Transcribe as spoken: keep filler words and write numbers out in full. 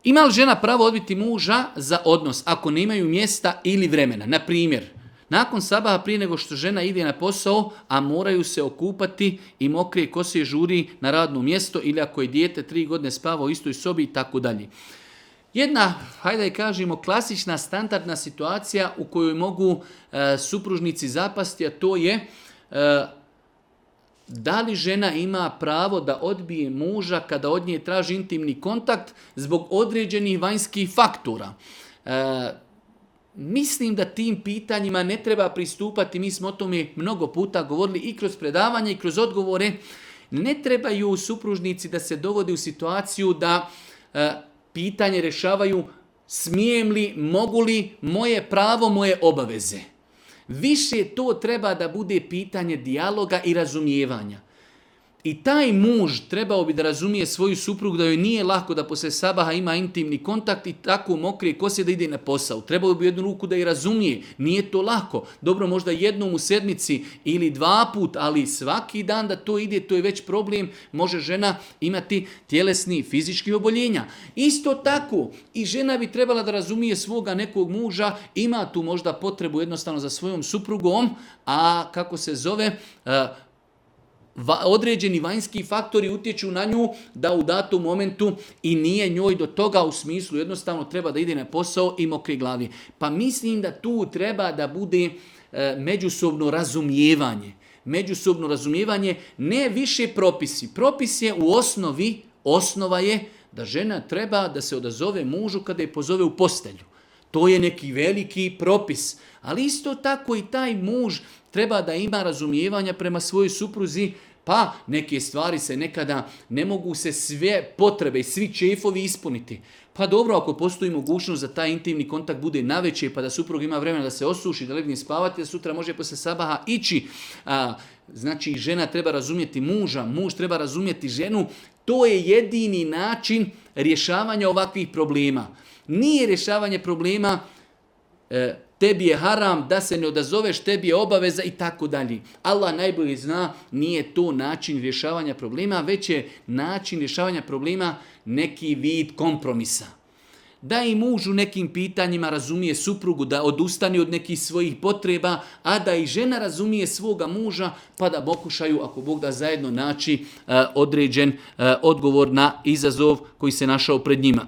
Ima li žena pravo odbiti muža za odnos ako nemaju mjesta ili vremena? Na primjer, nakon sabaha prije nego što žena ide na posao, a moraju se okupati i mokrije kose žuri na radno mjesto ili ako je dijete tri godine spava u istoj sobi i tako dalje. Jedna, hajde da kažemo, klasična standardna situacija u kojoj mogu e, supružnici zapasti, a to je e, da li žena ima pravo da odbije muža kada od nje traži intimni kontakt zbog određenih vanjskih faktora. E, mislim da tim pitanjima ne treba pristupati, mi smo o tome mnogo puta govorili i kroz predavanje i kroz odgovore. Ne trebaju supružnici da se dovode u situaciju da e, pitanje rješavaju smijem li, mogu li, moje pravo, moje obaveze. Više to treba da bude pitanje dijaloga i razumijevanja. I taj muž trebao bi da razumije svoju suprugu da joj nije lako da poslije sabaha ima intimni kontakt i tako mokrije kose da ide na posao. Trebao bi u jednu ruku da je razumije. Nije to lako. Dobro, možda jednom u sedmici ili dva put, ali svaki dan da to ide, to je već problem. Može žena imati tjelesni, fizički oboljenja. Isto tako i žena bi trebala da razumije svoga nekog muža, ima tu možda potrebu jednostavno za svojom suprugom, a kako se zove, određeni vanjski faktori utječu na nju da u datom momentu i nije njoj do toga, u smislu jednostavno treba da ide na posao i mokre glavi. Pa mislim da tu treba da bude e, međusobno razumijevanje. Međusobno razumijevanje, ne više propisi. Propis je u osnovi, osnova je da žena treba da se odazove mužu kada je pozove u postelju. To je neki veliki propis. Ali isto tako i taj muž treba da ima razumijevanja prema svojoj supruzi, pa neke stvari se nekada ne mogu se sve potrebe i svi čefovi ispuniti. Pa dobro, ako postoji mogućnost da taj intimni kontakt bude navečer, pa da suprug ima vremena da se osuši, da legne spavati, da sutra može posle sabaha ići. A, znači, žena treba razumjeti muža, muž treba razumjeti ženu. To je jedini način rješavanja ovakvih problema. Nije rješavanje problema e, tebi je haram da se ne odazoveš, tebi je obaveza i tako dalje. Allah najbolje zna, nije to način rješavanja problema, već je način rješavanja problema neki vid kompromisa. Da i muž u nekim pitanjima razumije suprugu, da odustane od nekih svojih potreba, a da i žena razumije svoga muža, pa da pokušaju, ako Bog da, zajedno naći uh, određen uh, odgovor na izazov koji se našao pred njima.